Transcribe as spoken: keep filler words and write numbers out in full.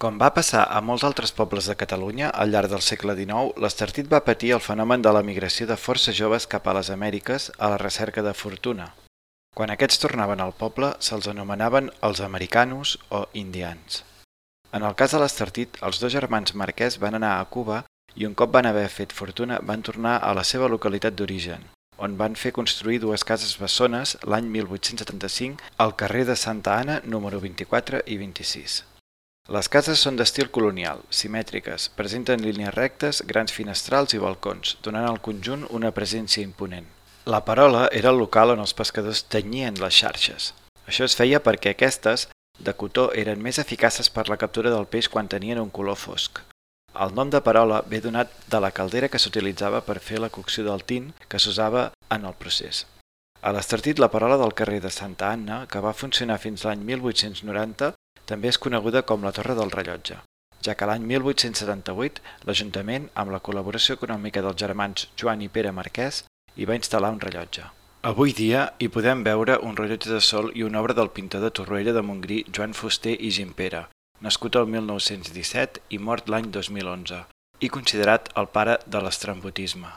Com va passar a molts altres pobles de Catalunya, al llarg del segle dinou, l'Estartit va patir el fenomen de la migració de força joves cap a les Amèriques a la recerca de fortuna. Quan aquests tornaven al poble, se'ls anomenaven els americanos o indians. En el cas de l'Estartit, els dos germans Marquès van anar a Cuba i un cop van haver fet fortuna van tornar a la seva localitat d'origen, on van fer construir dues cases bessones l'any mil vuit-cents setanta-cinc al carrer de Santa Anna número vint-i-quatre i vint-i-sis. Les cases són d'estil colonial, simètriques, presenten línies rectes, grans finestrals i balcons, donant al conjunt una presència imponent. La Perola era el local on els pescadors tenyien les xarxes. Això es feia perquè aquestes, de cotó, eren més eficaces per la captura del peix quan tenien un color fosc. El nom de Perola ve donat de la caldera que s'utilitzava per fer la cocció del tint que s'usava en el procés. A l'Estartit, la Perola del carrer de Santa Anna, que va funcionar fins l'any mil vuit-cents noranta, també és coneguda com la Torre del Rellotge, ja que l'any mil vuit-cents setanta-vuit l'Ajuntament, amb la col·laboració econòmica dels germans Joan i Pere Marquès, hi va instal·lar un rellotge. Avui dia hi podem veure un rellotge de sol i una obra del pintor de Torroella de Montgrí Joan Fuster i Gimpera, nascut el mil nou-cents disset i mort l'any dos mil onze, i considerat el pare de l'estrambottisme.